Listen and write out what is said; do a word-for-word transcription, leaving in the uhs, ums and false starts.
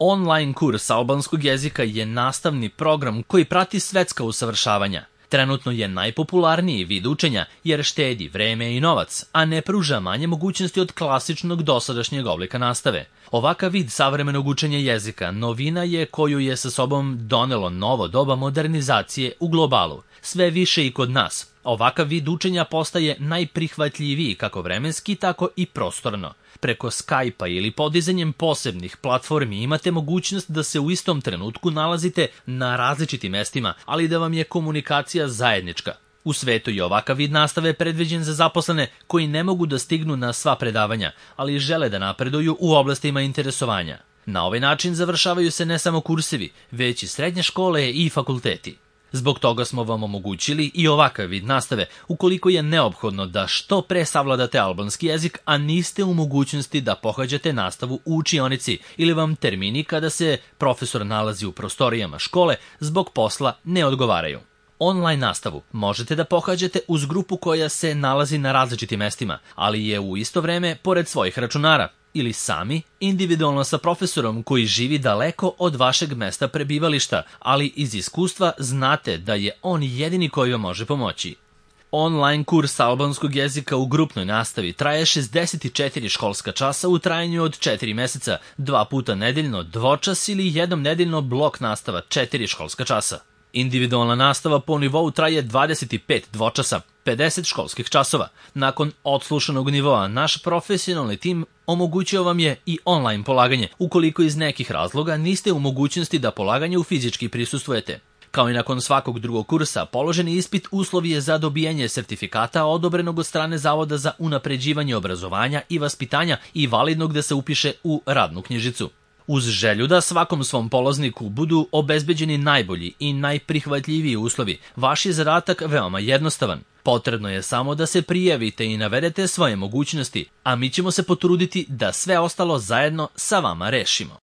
Online kurs albanskog jezika je nastavni program koji prati svetska usavršavanja. Trenutno je najpopularniji vid učenja jer štedi vreme i novac, a ne pruža manje mogućnosti od klasičnog dosadašnjeg oblika nastave. Ovakav vid savremenog učenja jezika novina je koju je sa sobom donelo novo doba modernizacije u globalu. Sve više i kod nas. Ovakav vid učenja postaje najprihvatljiviji kako vremenski, tako i prostorno. Preko Skype-a ili podizanjem posebnih platformi imate mogućnost da se u istom trenutku nalazite na različitim mestima, ali da vam je komunikacija zajednička. U svetu je ovakav vid nastave predviđen za zaposlene koji ne mogu da stignu na sva predavanja, ali žele da napreduju u oblastima interesovanja. Na ovaj način završavaju se ne samo kursevi, već i srednje škole i fakulteti. Zbog toga smo vam omogućili i ovakav vid nastave, ukoliko je neophodno da što pre savladate albanski jezik, a niste u mogućnosti da pohađate nastavu u učionici ili vam termini kada se profesor nalazi u prostorijama škole zbog posla ne odgovaraju. Online nastavu možete da pohađate uz grupu koja se nalazi na različitim mestima, ali je u isto vreme pored svojih računara, ili sami, individualno sa profesorom koji živi daleko od vašeg mesta prebivališta, ali iz iskustva znate da je on jedini koji vam može pomoći. Online kurs albanskog jezika u grupnoj nastavi traje šezdeset četiri školska časa u trajanju od četiri meseca, dva puta nedeljno dvočas ili jednom nedeljno blok nastava četiri školska časa. Individualna nastava po nivou traje dvadeset pet dvočasa, pedeset školskih časova. Nakon odslušanog nivoa, naš profesionalni tim omogućio vam je i online polaganje, ukoliko iz nekih razloga niste u mogućnosti da polaganju fizički prisustvujete. Kao i nakon svakog drugog kursa, položeni ispit uslov je za dobijanje sertifikata odobrenog od strane Zavoda za unapređivanje obrazovanja i vaspitanja i validnog da se upiše u radnu knjižicu. Uz želju da svakom svom polazniku budu obezbeđeni najbolji i najprihvatljiviji uslovi, vaš je zadatak veoma jednostavan. Potrebno je samo da se prijavite i navedete svoje mogućnosti, a mi ćemo se potruditi da sve ostalo zajedno sa vama rešimo.